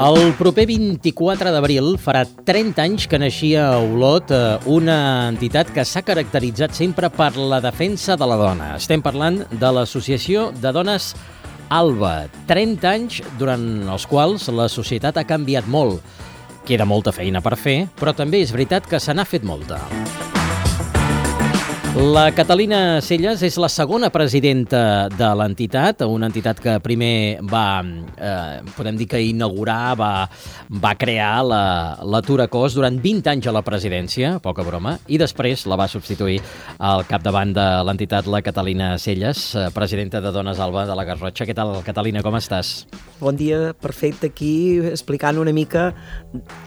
El proper 24 d'abril farà 30 anys que naixia a Olot, una entitat que s'ha caracteritzat sempre per la defensa de la dona. Estem parlant de l'Associació de Dones Alba. 30 anys durant els quals la societat ha canviat molt. Queda molta feina per fer, però també és veritat que se n'ha fet molta. La Catalina Celles és la segona presidenta de l'entitat, una entitat que primer va, podem dir que inaugurar, va crear la Tura Cos durant 20 anys a la presidència, poca broma, i després la va substituir al capdavant de l'entitat, la Catalina Celles, presidenta de Dones Alba de la Garrotxa. Què tal, Catalina, com estàs? Bon dia, perfecte, aquí explicant una mica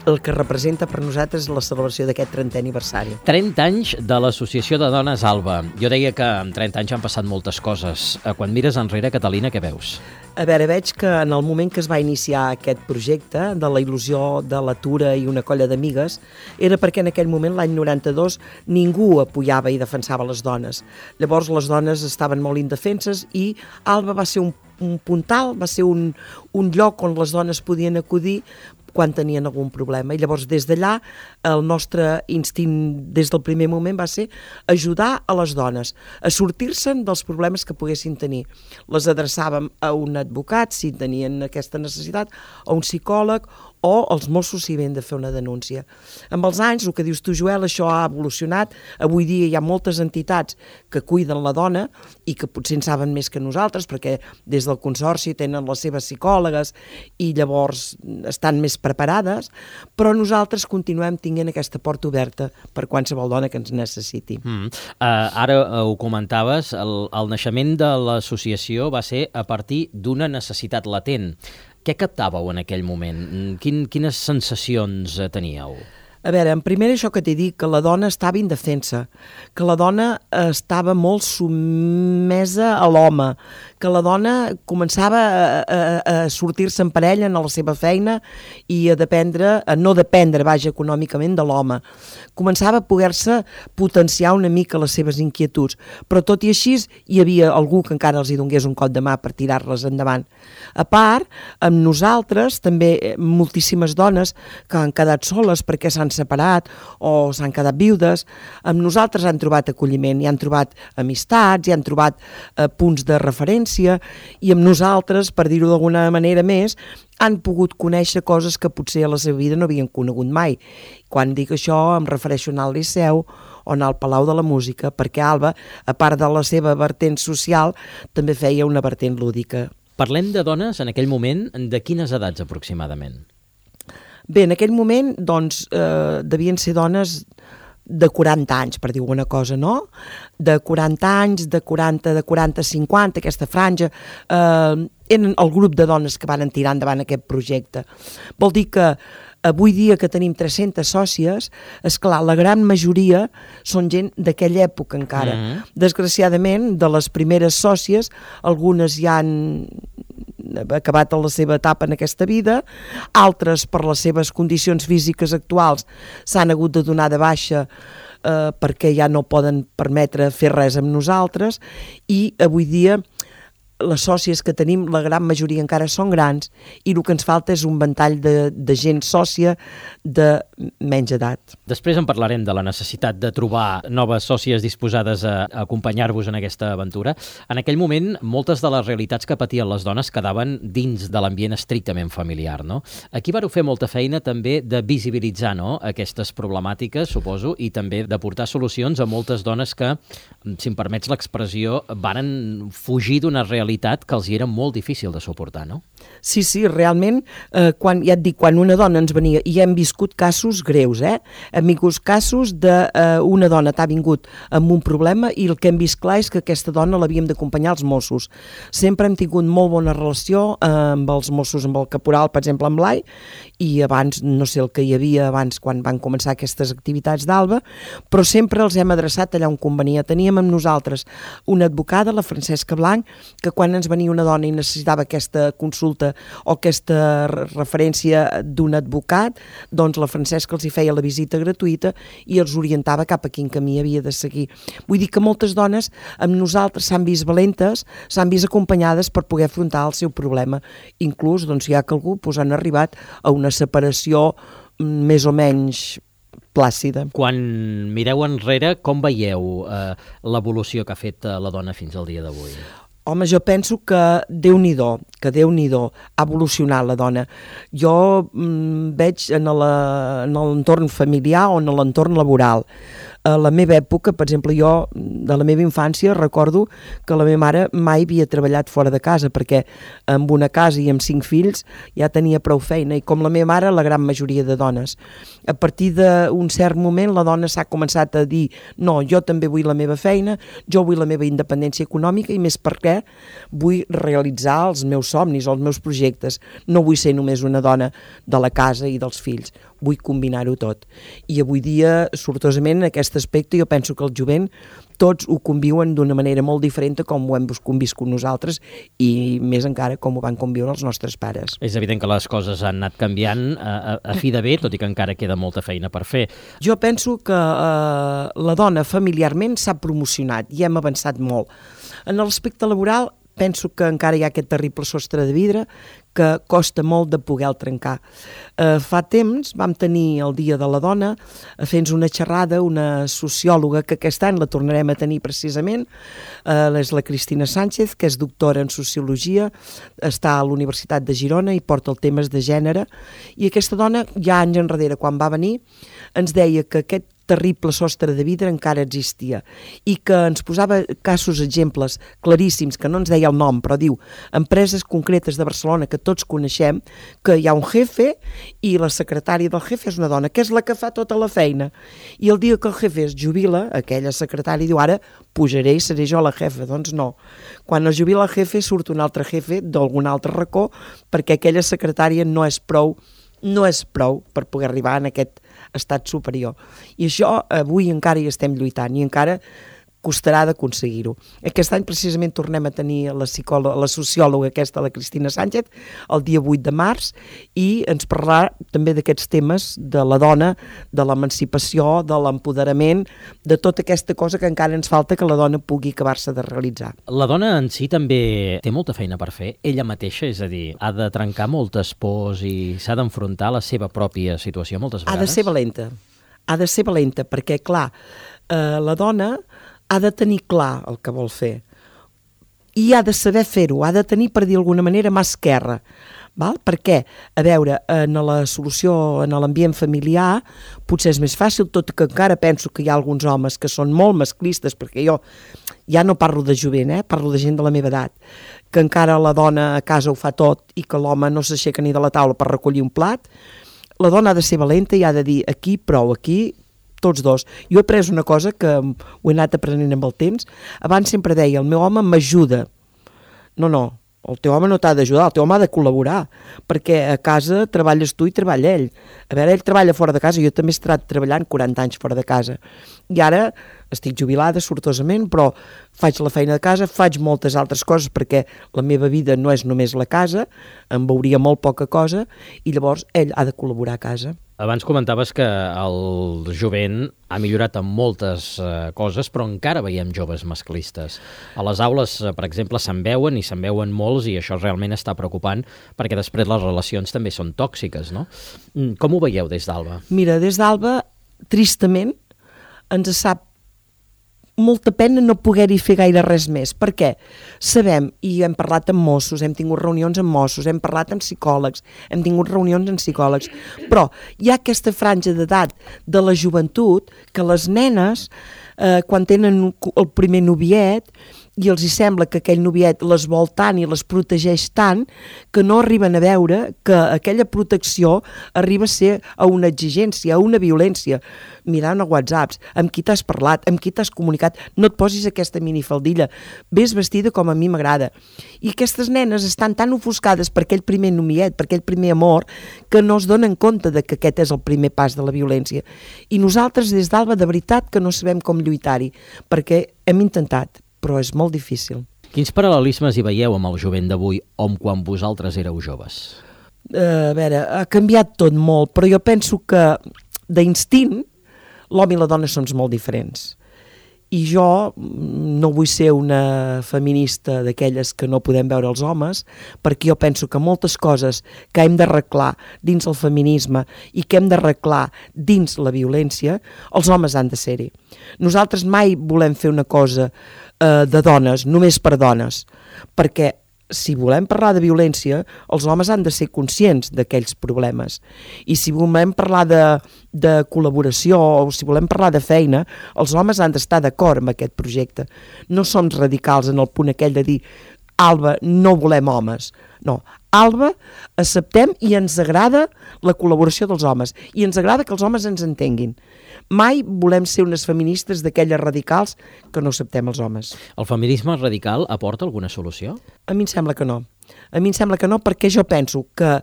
el que representa per nosaltres la celebració d'aquest 30è aniversari. 30 anys de l'Associació de Dones Alba. Jo deia que en 30 anys han passat moltes coses. Quan mires enrere, Catalina, què veus? A veure, veig que en el moment que es va iniciar aquest projecte de la il·lusió de la Tura i una colla d'amigues, era perquè en aquell moment, l'any 92, ningú apoyava i defensava les dones. Llavors les dones estaven molt indefenses i Alba va ser un puntal, va ser un lloc on les dones podien acudir quan tenien algun problema. I llavors des d'allà el nostre instint des del primer moment va ser ajudar a les dones a sortir-se'n dels problemes que poguessin tenir. Les adreçàvem a un advocat si tenien aquesta necessitat, a un psicòleg o els Mossos si havien de fer una denúncia. Amb els anys, el que dius tu, Joel, això ha evolucionat. Avui dia hi ha moltes entitats que cuiden la dona i que potser en saben més que nosaltres perquè des del Consorci tenen les seves psicòlogues i llavors estan més preparades, però nosaltres continuem tenint aquesta porta oberta per qualsevol dona que ens necessiti. Ara ho comentaves, el naixement de l'associació va ser a partir d'una necessitat latent. Què captàveu en aquell moment? Quines sensacions teníeu? A veure, en primer això que t'he dit, que la dona estava indefensa, que la dona estava molt sotmesa a l'home, que la dona començava a sortir-se en parella en la seva feina i a no dependre, econòmicament de l'home. Començava a poder-se potenciar una mica les seves inquietuds, però tot i així hi havia algú que encara els hi donés un cop de mà per tirar-les endavant. A part, amb nosaltres també moltíssimes dones que han quedat soles perquè s'han separat o s'han quedat viudes, amb nosaltres han trobat acolliment, i han trobat amistats, i han trobat punts de referència, i amb nosaltres, per dir-ho d'alguna manera més, han pogut conèixer coses que potser a la seva vida no havien conegut mai. Quan dic això em refereixo a anar al Liceu o anar al Palau de la Música, perquè Alba, a part de la seva vertent social, també feia una vertent lúdica. Parlem de dones en aquell moment, de quines edats aproximadament? Bé, en aquell moment, doncs, devien ser dones de 40 anys, per dir alguna cosa, no? De 40 anys, de 40 a 50, aquesta franja, eren el grup de dones que van tirar endavant aquest projecte. Vol dir que avui dia que tenim 300 sòcies, esclar, la gran majoria són gent d'aquella època encara. Desgraciadament, de les primeres sòcies, algunes ja han acabat la seva etapa en aquesta vida, altres per les seves condicions físiques actuals s'han hagut de donar de baixa perquè ja no poden permetre fer res amb nosaltres, i avui dia les sòcies que tenim, la gran majoria encara són grans, i el que ens falta és un ventall de gent sòcia de menys edat. Després en parlarem de la necessitat de trobar noves sòcies disposades a acompanyar-vos en aquesta aventura. En aquell moment, moltes de les realitats que patien les dones quedaven dins de l'ambient estrictament familiar, no? Aquí vareu fer molta feina també de visibilitzar, no?, aquestes problemàtiques, suposo, i també de portar solucions a moltes dones que, si em permets l'expressió, varen fugir d'una realitat que els hi era molt difícil de suportar, no? Sí, realment, quan una dona ens venia, i hem viscut casos greus, hem vingut casos d'una dona que ha vingut amb un problema i el que hem vist clar és que aquesta dona l'havíem d'acompanyar als Mossos. Sempre hem tingut molt bona relació amb els Mossos, amb el caporal, per exemple, amb l'Ai, i abans, no sé el que hi havia abans quan van començar aquestes activitats d'Alba, però sempre els hem adreçat allà on convenia. Teníem amb nosaltres una advocada, la Francesca Blanc, que quan ens venia una dona i necessitava aquesta consulta o aquesta referència d'un advocat, doncs la Francesca els hi feia la visita gratuïta i els orientava cap a quin camí havia de seguir. Vull dir que moltes dones amb nosaltres s'han vist valentes, s'han vist acompanyades per poder afrontar el seu problema. Inclús, doncs, si hi ha calgú, han arribat a una separació més o menys plàcida. Quan mireu enrere, com veieu l'evolució que ha fet la dona fins al dia d'avui? Home, jo penso que Déu-n'hi-do, ha evolucionat la dona. Jo veig en l'entorn familiar o en l'entorn laboral. A la meva època, per exemple, jo de la meva infància recordo que la meva mare mai havia treballat fora de casa, perquè amb una casa i amb 5 fills ja tenia prou feina, i com la meva mare, la gran majoria de dones. A partir d'un cert moment la dona s'ha començat a dir no, jo també vull la meva feina, jo vull la meva independència econòmica i més perquè vull realitzar els meus somnis o els meus projectes. No vull ser només una dona de la casa i dels fills, vull combinar-ho tot. I avui dia, sortosament, en aquest aspecte, jo penso que el jovent tots ho conviuen d'una manera molt diferent com ho hem conviscut nosaltres i més encara com ho van conviure els nostres pares. És evident que les coses han anat canviant a fi de bé, tot i que encara queda molta feina per fer. Jo penso que la dona familiarment s'ha promocionat i hem avançat molt. En l'aspecte laboral penso que encara hi ha aquest terrible sostre de vidre que costa molt de poder-lo trencar. Fa temps vam tenir el Dia de la Dona fent una xerrada, una sociòloga que aquest any la tornarem a tenir precisament, és la Cristina Sánchez, que és doctora en Sociologia, està a la Universitat de Girona i porta els temes de gènere, i aquesta dona ja anys enrere, quan va venir, ens deia que aquest terrible sostre de vidre encara existia i que ens posava casos, exemples claríssims, que no ens deia el nom, però diu empreses concretes de Barcelona que tots coneixem, que hi ha un jefe i la secretària del jefe és una dona, que és la que fa tota la feina. I el dia que el jefe es jubila, aquella secretària diu ara pujaré i seré jo la jefa. Doncs no. Quan es jubila el jefe surt un altre jefe d'algun altre racó perquè aquella secretària no és prou per poder arribar en aquest estat superior. I això avui encara hi estem lluitant i encara costarà d'aconseguir-ho. Aquest any precisament tornem a tenir la sociòloga aquesta, la Cristina Sánchez, el dia 8 de març, i ens parlarà també d'aquests temes de la dona, de l'emancipació, de l'empoderament, de tota aquesta cosa que encara ens falta que la dona pugui acabar-se de realitzar. La dona en si també té molta feina per fer, ella mateixa, és a dir, ha de trencar moltes pors i s'ha d'enfrontar a la seva pròpia situació moltes vegades. Ha de ser valenta, perquè, clar, la dona ha de tenir clar el que vol fer i ha de saber fer-ho, ha de tenir, per dir d'alguna manera, mà esquerra. Val? Perquè, a veure, en la solució, en l'ambient familiar, potser és més fàcil, tot que encara penso que hi ha alguns homes que són molt masclistes, perquè jo ja no parlo de jovent, parlo de gent de la meva edat, que encara la dona a casa ho fa tot i que l'home no s'aixeca ni de la taula per recollir un plat. La dona ha de ser valenta i ha de dir aquí prou, aquí tots dos. Jo he après una cosa que ho he anat aprenent amb el temps. Abans sempre deia, el meu home m'ajuda. No, el teu home no t'ha d'ajudar, el teu home ha de col·laborar, perquè a casa treballes tu i treballa ell. A veure, ell treballa fora de casa, jo també he estat treballant 40 anys fora de casa. I ara estic jubilada, sortosament, però faig la feina de casa, faig moltes altres coses, perquè la meva vida no és només la casa, em veuria molt poca cosa, i llavors ell ha de col·laborar a casa. Abans comentaves que el jovent ha millorat en moltes coses, però encara veiem joves masclistes. A les aules, per exemple, se'n veuen i se'n veuen molts i això realment està preocupant perquè després les relacions també són tòxiques, no? Com ho veieu des d'Alba? Mira, des d'Alba, tristament, ens sap molta pena no poder-hi fer gaire res més. Per què? Sabem, i hem parlat amb Mossos, hem tingut reunions amb Mossos, hem parlat amb psicòlegs, hem tingut reunions amb psicòlegs, però hi ha aquesta franja d'edat de la joventut que les nenes, quan tenen el primer noviet, i els hi sembla que aquell noviet les vol tant i les protegeix tant que no arriben a veure que aquella protecció arriba a ser a una exigència, a una violència. Mirant a WhatsApps, amb qui t'has parlat, amb qui t'has comunicat, no et posis aquesta minifaldilla, ves vestida com a mi m'agrada. I aquestes nenes estan tan ofuscades per aquell primer noviet, per aquell primer amor, que no es donen compte de que aquest és el primer pas de la violència. I nosaltres des d'Alba de veritat que no sabem com lluitar-hi, perquè hem intentat, però és molt difícil. Quins paral·lelismes hi veieu amb el jovent d'avui o amb quan vosaltres éreu joves? A veure, ha canviat tot molt, però jo penso que d'instint l'home i la dona són molt diferents. I jo no vull ser una feminista d'aquelles que no podem veure els homes, perquè jo penso que moltes coses que hem d'arreglar dins el feminisme i que hem d'arreglar dins la violència, els homes han de ser-hi. Nosaltres mai volem fer una cosa de dones, només per dones, perquè si volem parlar de violència, els homes han de ser conscients d'aquells problemes. I si volem parlar de col·laboració o si volem parlar de feina, els homes han d'estar d'acord amb aquest projecte. No som radicals en el punt aquell de dir Alba, no volem homes. No, Alba, acceptem i ens agrada la col·laboració dels homes i ens agrada que els homes ens entenguin. Mai volem ser unes feministes d'aquelles radicals que no acceptem els homes. El feminisme radical aporta alguna solució? A mi em sembla que no. A mi em sembla que no perquè jo penso que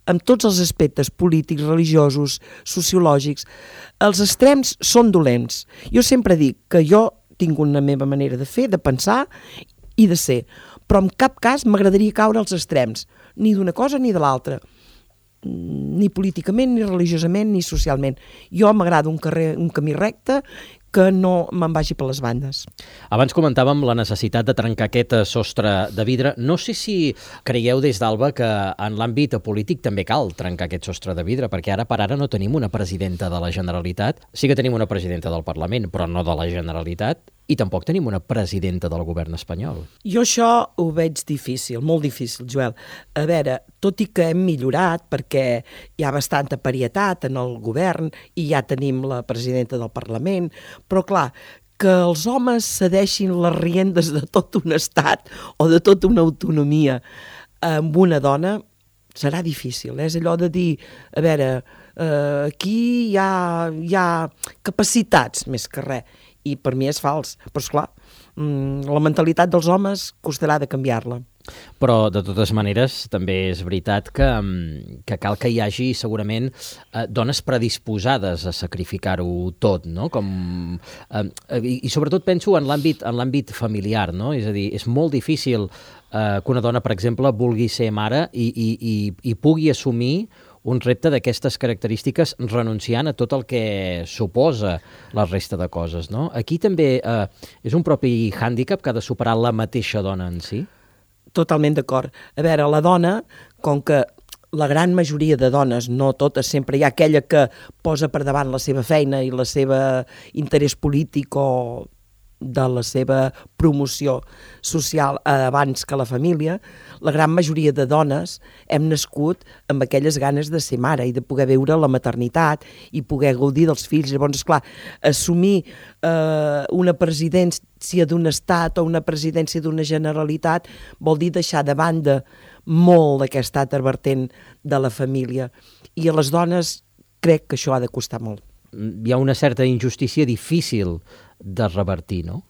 en tots els aspectes polítics, religiosos, sociològics, els extrems són dolents. Jo sempre dic que jo tinc una meva manera de fer, de pensar i de ser, però en cap cas m'agradaria caure als extrems, ni d'una cosa ni de l'altra. Ni políticament, ni religiosament, ni socialment. Jo m'agrada un camí recte que no me'n vagi per les bandes. Abans comentàvem la necessitat de trencar aquest sostre de vidre. No sé si creieu des d'Alba que en l'àmbit polític també cal trencar aquest sostre de vidre, perquè ara per ara no tenim una presidenta de la Generalitat. Sí que tenim una presidenta del Parlament, però no de la Generalitat, i tampoc tenim una presidenta del govern espanyol. Jo això ho veig difícil, molt difícil, Joel. A veure, tot i que hem millorat, perquè hi ha bastanta parietat en el govern i ja tenim la presidenta del Parlament, però clar, que els homes cedeixin les riendes de tot un estat o de tota una autonomia amb una dona serà difícil. És allò de dir, a veure, aquí hi ha capacitats més que res, i per mi és fals. Però esclar, la mentalitat dels homes costarà de canviar-la. Però, de totes maneres, també és veritat que cal que hi hagi, segurament, dones predisposades a sacrificar-ho tot, no? I sobretot penso en l'àmbit familiar, no? És a dir, és molt difícil que una dona, per exemple, vulgui ser mare i pugui assumir un repte d'aquestes característiques renunciant a tot el que suposa la resta de coses, no? Aquí també és un propi hàndicap que ha de superar la mateixa dona en si? Totalment d'acord. A veure, la dona, com que la gran majoria de dones, no totes, sempre hi ha aquella que posa per davant la seva feina i la seva interès polític o de la seva promoció social abans que la família, la gran majoria de dones hem nascut amb aquelles ganes de ser mare i de poder veure la maternitat i poder gaudir dels fills. Llavors, esclar, assumir una presidència d'un estat o una presidència d'una generalitat vol dir deixar de banda molt aquest altre vertent de la família. I a les dones crec que això ha de costar molt. Hi ha una certa injustícia difícil de revertir, no?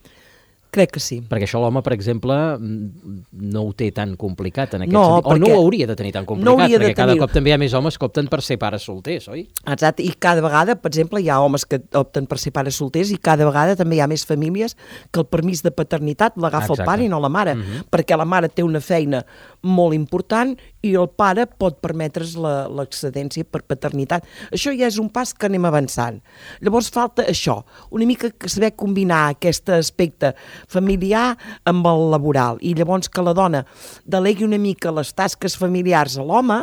Crec que sí. Perquè això l'home, per exemple, no ho té tan complicat en aquest sentit. O no ho hauria de tenir tan complicat, perquè cada cop també hi ha més homes que opten per ser pares solters, oi? Exacte, i cada vegada, per exemple, hi ha homes que opten per ser pares solters i cada vegada també hi ha més famílies que el permís de paternitat l'agafa el pare i no la mare, perquè la mare té una feina molt important i el pare pot permetre's l'excedència per paternitat. Això ja és un pas que anem avançant. Llavors falta això, una mica saber combinar aquest aspecte familiar amb el laboral i llavors que la dona delegui una mica les tasques familiars a l'home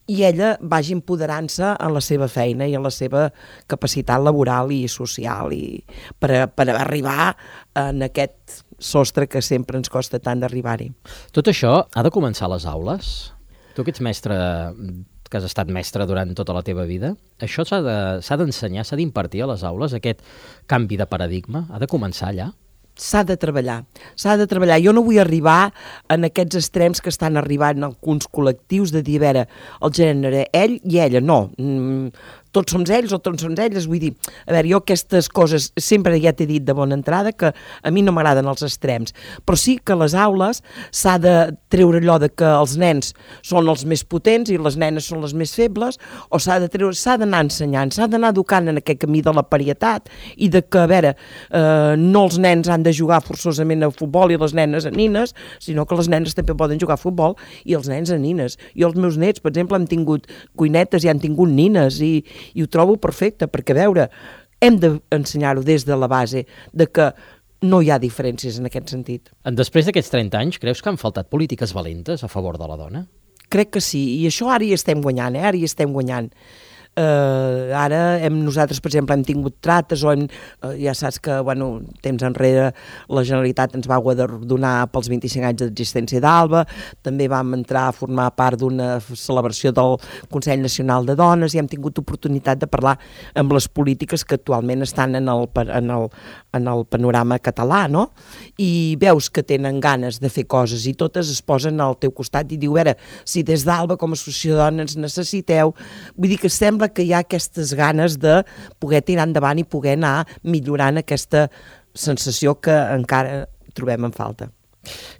i ella vagi empoderant-se en la seva feina i en la seva capacitat laboral i social i per arribar en aquest sostre que sempre ens costa tant d'arribar-hi. Tot això ha de començar a les aules? Tu que ets mestre, que has estat mestre durant tota la teva vida, això s'ha d'ensenyar, s'ha d'impartir a les aules, aquest canvi de paradigma? Ha de començar allà? S'ha de treballar. Jo no vull arribar en aquests extrems que estan arribant alguns col·lectius de dir, a veure, el gènere, ell i ella, no. tots som ells o tots som elles, vull dir, a veure, jo aquestes coses sempre ja t'he dit de bona entrada que a mi no m'agraden els extrems, però sí que a les aules s'ha de treure allò de que els nens són els més potents i les nenes són les més febles, o s'ha d'anar ensenyant, s'ha d'anar educant en aquest camí de la parietat i de que, a veure, no els nens han de jugar forçosament a futbol i les nenes a nines, sinó que les nenes també poden jugar a futbol i els nens a nines. Jo els meus nets, per exemple, han tingut cuinetes i han tingut nines i ho trobo perfecte, perquè, a veure, hem d'ensenyar-ho des de la base de que no hi ha diferències en aquest sentit. Després d'aquests 30 anys, creus que han faltat polítiques valentes a favor de la dona? Crec que sí, i això ara hi estem guanyant, ara hi estem guanyant. Ara nosaltres, per exemple, hem tingut trates o ja saps que, bueno, temps enrere la Generalitat ens va guardonar pels 25 anys d'existència d'Alba, també vam entrar a formar part d'una celebració del Consell Nacional de Dones i hem tingut oportunitat de parlar amb les polítiques que actualment estan en el panorama català, no? I veus que tenen ganes de fer coses i totes es posen al teu costat i diu, a veure, si des d'Alba com a associació de dones necessiteu, vull dir que sembla que hi ha aquestes ganes de poder tirar endavant i poder anar millorant aquesta sensació que encara trobem en falta.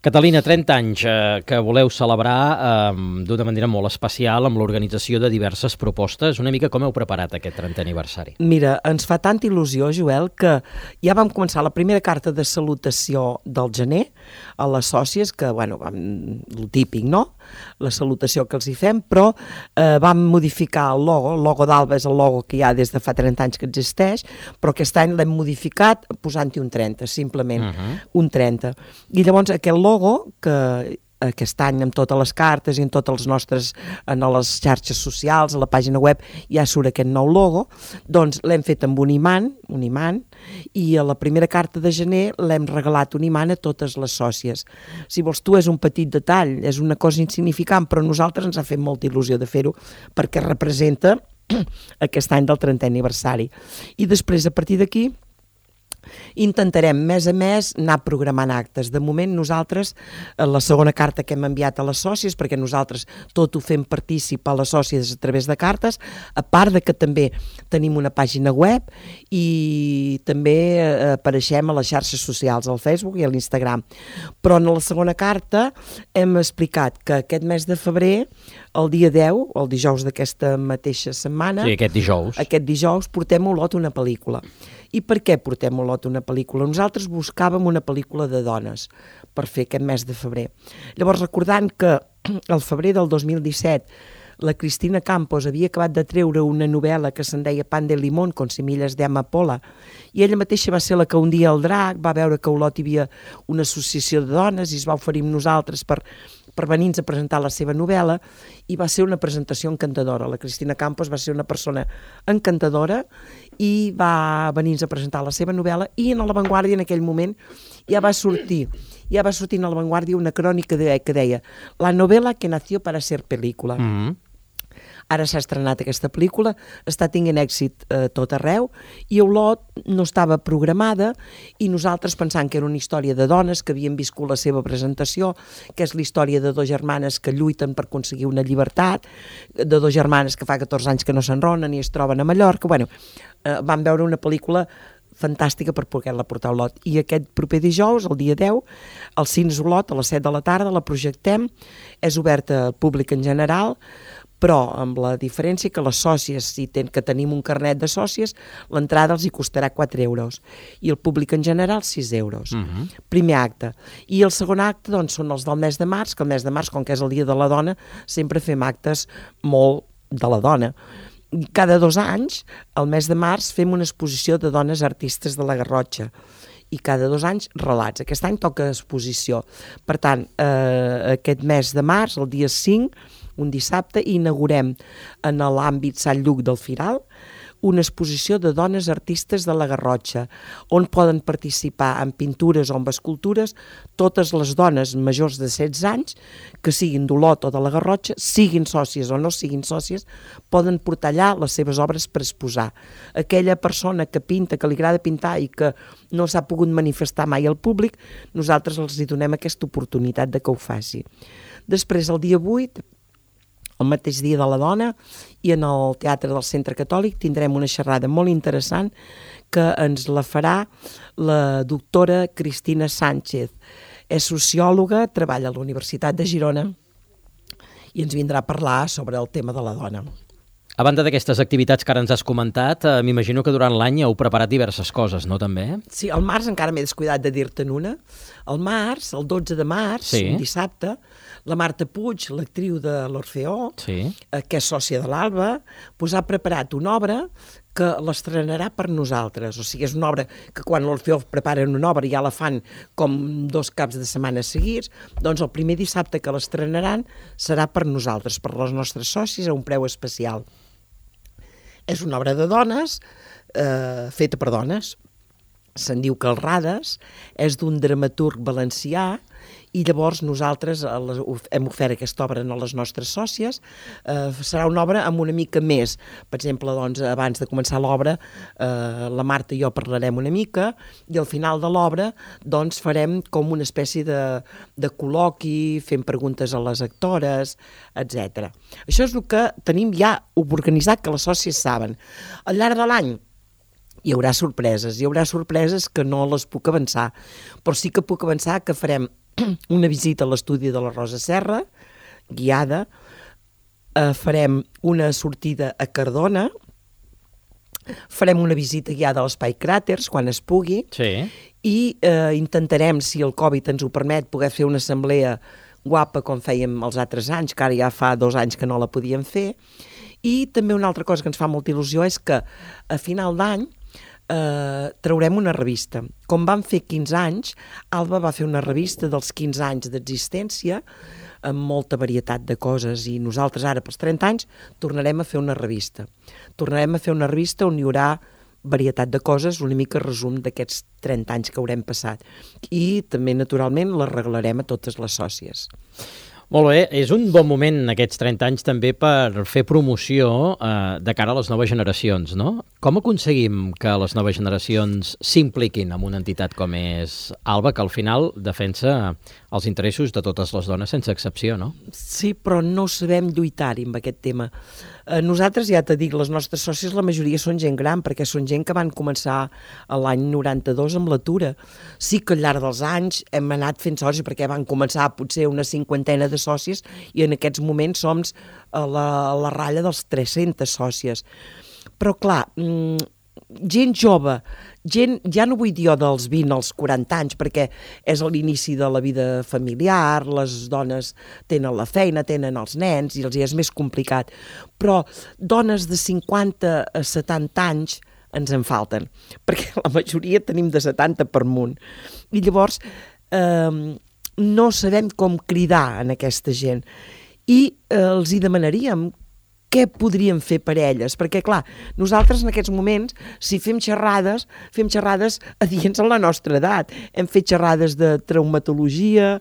Catalina, 30 anys que voleu celebrar d'una manera molt especial amb l'organització de diverses propostes. Una mica com heu preparat aquest 30è aniversari? Mira, ens fa tanta il·lusió, Joel, que ja vam començar la primera carta de salutació del gener a les sòcies, que, bueno, el típic, no?, la salutació que els hi fem, però vam modificar el logo d'Alba és el logo que hi ha des de fa 30 anys que existeix, però aquest any l'hem modificat posant-hi un 30, simplement, un 30. I llavors aquest logo, que aquest any amb totes les cartes i en totes les nostres, en les xarxes socials, a la pàgina web, ja surt aquest nou logo, doncs l'hem fet amb un imant, i a la primera carta de gener l'hem regalat un imant a totes les sòcies. Si vols tu, és un petit detall, és una cosa insignificant, però a nosaltres ens ha fet molta il·lusió de fer-ho, perquè representa aquest any del 30è aniversari. I després, a partir d'aquí, intentarem mes a mes anar programant actes. De moment nosaltres, la segona carta que hem enviat a les sòcies, perquè nosaltres tot ho fem partícip a les sòcies a través de cartes, a part de que també tenim una pàgina web i també apareixem a les xarxes socials, al Facebook i a l'Instagram. Però en la segona carta hem explicat que aquest mes de febrer, el dia 10, el dijous d'aquesta mateixa setmana, sí, aquest dijous portem a Olot una pel·lícula. I per què portem a Olot una pel·lícula? Nosaltres buscàvem una pel·lícula de dones per fer aquest mes de febrer. Llavors, recordant que al febrer del 2017 la Cristina Campos havia acabat de treure una novel·la que se'n deia Pan de Limón con semillas de amapola, i ella mateixa va ser la que un dia al Drac va veure que a Olot hi havia una associació de dones i es va oferir amb nosaltres per venir-nos a presentar la seva novel·la, i va ser una presentació encantadora. La Cristina Campos va ser una persona encantadora i va venir-nos a presentar la seva novel·la, i en La Vanguardia en aquell moment ja va sortir en La Vanguardia una crònica que deia la novel·la que nació para ser película. Ara s'ha estrenat aquesta pel·lícula, està tinguent èxit tot arreu, i a Olot no estava programada, i nosaltres pensant que era una història de dones que havien viscut la seva presentació, que és la història de dues germanes que lluiten per aconseguir una llibertat, de dues germanes que fa 14 anys que no s'enronen i es troben a Mallorca. Bueno, vam veure una pel·lícula fantàstica per poder-la portar a Olot, i aquest proper dijous, el dia 10, al Cines Olot, a les 7 de la tarda, la projectem, és oberta al públic en general, però amb la diferència que les sòcies, que tenim un carnet de sòcies, l'entrada els hi costarà 4 euros, i el públic en general 6 euros. Primer acte. I el segon acte, doncs, són els del mes de març, que el mes de març, com que és el dia de la dona, sempre fem actes molt de la dona. Cada 2 anys, al mes de març, fem una exposició de dones artistes de la Garrotxa, i cada 2 anys relats. Aquest any toca exposició. Per tant, aquest mes de març, el dia 5, un dissabte, inaugurem en l'àmbit Sant Lluc del Firal una exposició de dones artistes de la Garrotxa, on poden participar en pintures o en escultures totes les dones majors de 16 anys, que siguin d'Olot o de la Garrotxa, siguin sòcies o no siguin sòcies, poden portar allà les seves obres per exposar. Aquella persona que pinta, que li agrada pintar i que no s'ha pogut manifestar mai al públic, nosaltres els hi donem aquesta oportunitat de que ho faci. Després, el dia 8, el mateix dia de la dona, i en el Teatre del Centre Catòlic tindrem una xerrada molt interessant que ens la farà la doctora Cristina Sánchez. És sociòloga, treballa a la Universitat de Girona i ens vindrà a parlar sobre el tema de la dona. A banda d'aquestes activitats que ara ens has comentat, m'imagino que durant l'any heu preparat diverses coses, no, també? Sí, al març encara m'he descuidat de dir-te'n una. Al març, el 12 de març, un dissabte, la Marta Puig, l'actriu de l'Orfeó, que és sòcia de l'Alba, ha preparat una obra que l'estrenarà per nosaltres. O sigui, és una obra que quan l'Orfeó preparen una obra ja la fan com 2 caps de setmana seguits, doncs el primer dissabte que l'estrenaran serà per nosaltres, per les nostres sòcies, a un preu especial. És una obra de dones, feta per dones. Se'n diu Calrades, és d'un dramaturg valencià, i llavors nosaltres hem ofert aquesta obra a les nostres sòcies. Serà una obra amb una mica més. Per exemple, doncs, abans de començar l'obra, la Marta i jo parlarem una mica, i al final de l'obra doncs, farem com una espècie de col·loqui, fent preguntes a les actores, etc. Això és el que tenim ja organitzat, que les sòcies saben. Al llarg de l'any hi haurà sorpreses que no les puc avançar, però sí que puc avançar que farem una visita a l'estudi de la Rosa Serra, guiada, farem una sortida a Cardona, farem una visita guiada a l'Espai Cràters, quan es pugui, i intentarem, si el Covid ens ho permet, poder fer una assemblea guapa com fèiem els altres anys, que ara ja fa 2 anys que no la podíem fer. I també una altra cosa que ens fa molta il·lusió és que a final d'any traurem una revista. Com vam fer 15 anys, Alba va fer una revista dels 15 anys d'existència amb molta varietat de coses, i nosaltres ara pels 30 anys tornarem a fer una revista. Tornarem a fer una revista on hi haurà varietat de coses, una mica resum d'aquests 30 anys que haurem passat. I també, naturalment, la regalarem a totes les sòcies. Molt bé, és un bon moment aquests 30 anys també per fer promoció de cara a les noves generacions, no? Com aconseguim que les noves generacions s'impliquin en una entitat com és Alba, que al final defensa els interessos de totes les dones sense excepció, no? Sí, però no sabem lluitar-hi amb aquest tema. Nosaltres, ja t'he dit, les nostres sòcies, la majoria són gent gran, perquè són gent que van començar l'any 92 amb l'atura. Sí que al llarg dels anys hem anat fent sòcies, perquè van començar potser una 50ena de sòcies, i en aquests moments som a la ratlla dels 300 sòcies. Però clar, gent jove, ja no vull dir jo dels 20 als 40 anys, perquè és l'inici de la vida familiar, les dones tenen la feina, tenen els nens, i els és més complicat. Però dones de 50 a 70 anys ens en falten, perquè la majoria tenim de 70 per amunt. I llavors no sabem com cridar en aquesta gent. I els hi demanaríem què podríem fer per elles, perquè clar, nosaltres en aquests moments, si fem xerrades adients a la nostra edat. Hem fet xerrades de traumatologia,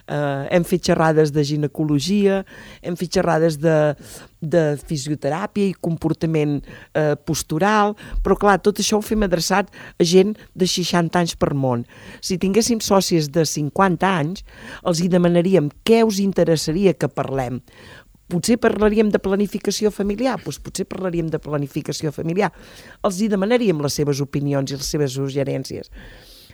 hem fet xerrades de ginecologia, hem fet xerrades de fisioteràpia i comportament postural, però clar, tot això ho fem adreçat a gent de 60 anys per món. Si tinguéssim sòcies de 50 anys, els hi demanaríem què us interessaria que parlem. Potser parlaríem de planificació familiar, doncs potser parlaríem de planificació familiar. Els hi demanaríem les seves opinions i les seves suggerències.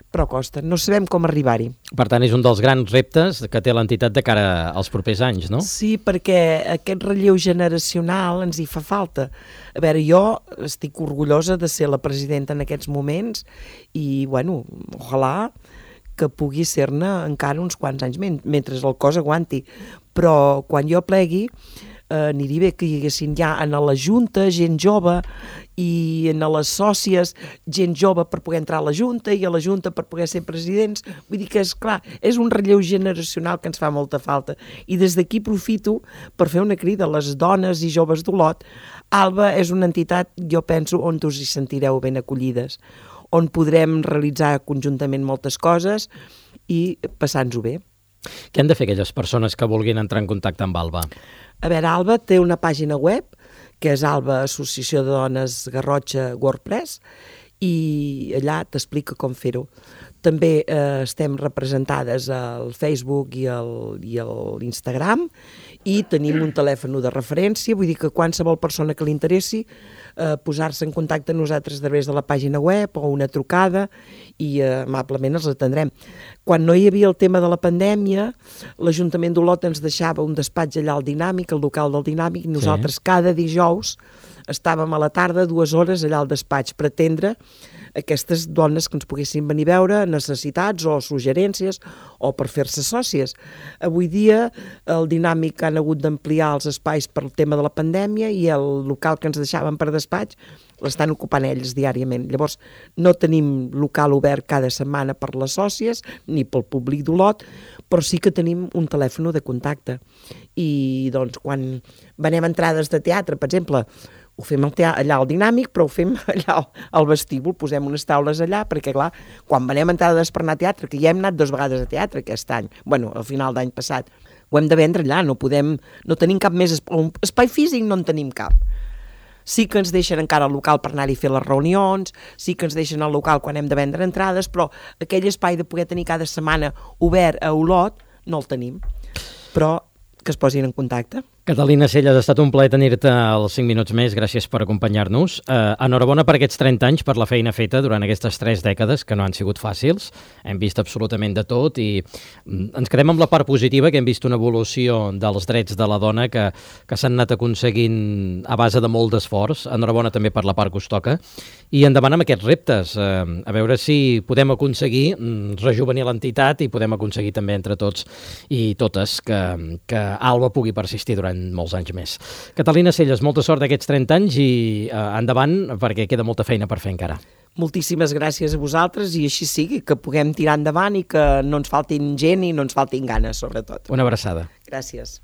Però costa, no sabem com arribar-hi. Per tant, és un dels grans reptes que té l'entitat de cara als propers anys, no? Sí, perquè aquest relleu generacional ens hi fa falta. A veure, jo estic orgullosa de ser la presidenta en aquests moments i, bueno, ojalà que pugui ser-ne encara uns quants anys mentre el cos aguanti. Però quan jo plegui, aniria bé que hi haguessin ja en la Junta gent jove i en les sòcies gent jove per poder entrar a la Junta i a la Junta per poder ser presidents. Vull dir que, és clar, és un relleu generacional que ens fa molta falta. I des d'aquí aprofito per fer una crida a les dones i joves d'Olot. Alba és una entitat, jo penso, on us hi sentireu ben acollides, on podrem realitzar conjuntament moltes coses i passar-nos-ho bé. Què han de fer aquelles persones que vulguin entrar en contacte amb Alba? A veure, Alba té una pàgina web, que és Alba Associació de Dones Garrotxa WordPress, i allà t'explica com fer-ho. també estem representades al Facebook i l'Instagram, i tenim un telèfon de referència, vull dir que qualsevol persona que li interessi posar-se en contacte amb nosaltres a través de la pàgina web o una trucada, i amablement els atendrem. Quan no hi havia el tema de la pandèmia, l'Ajuntament d'Olot ens deixava un despatx allà al Dinàmic, al local del Dinàmic, i nosaltres cada dijous estàvem a la tarda 2 hores allà al despatx per atendre aquestes dones que ens poguessin venir a veure, necessitats o suggerències, o per fer-se sòcies. Avui dia el Dinàmic han hagut d'ampliar els espais per el tema de la pandèmia, i el local que ens deixaven per despatx l'estan ocupant ells diàriament. Llavors no tenim local obert cada setmana per les sòcies ni pel públic d'Olot, però sí que tenim un telèfon de contacte. I doncs quan venem entrades de teatre, per exemple, ho fem allà al Dinàmic, però ho fem allà al vestíbul, posem unes taules allà, perquè clar, quan venem entrades per anar a teatre, que ja hem anat 2 vegades a teatre aquest any, bueno, al final d'any passat, ho hem de vendre allà, no tenim cap més espai físic, no en tenim cap. Sí que ens deixen encara el local per anar-hi a fer les reunions, sí que ens deixen el local quan hem de vendre entrades, però aquell espai de poder tenir cada setmana obert a Olot no el tenim, però que es posin en contacte. Catalina Celles, ha estat un plaer tenir-te als 5 minuts més, gràcies per acompanyar-nos. Enhorabona per aquests 30 anys, per la feina feta durant aquestes 3 dècades, que no han sigut fàcils. Hem vist absolutament de tot i ens quedem amb la part positiva, que hem vist una evolució dels drets de la dona que s'han anat aconseguint a base de molt d'esforç. Enhorabona també per la part que us toca. I endavant amb aquests reptes, a veure si podem aconseguir rejuvenir l'entitat i podem aconseguir també entre tots i totes que Alba pugui persistir durant molts anys més. Catalina Celles, molta sort d'aquests 30 anys i endavant, perquè queda molta feina per fer encara. Moltíssimes gràcies a vosaltres, i així sigui, que puguem tirar endavant i que no ens faltin gent i no ens faltin ganes, sobretot. Una abraçada. Gràcies.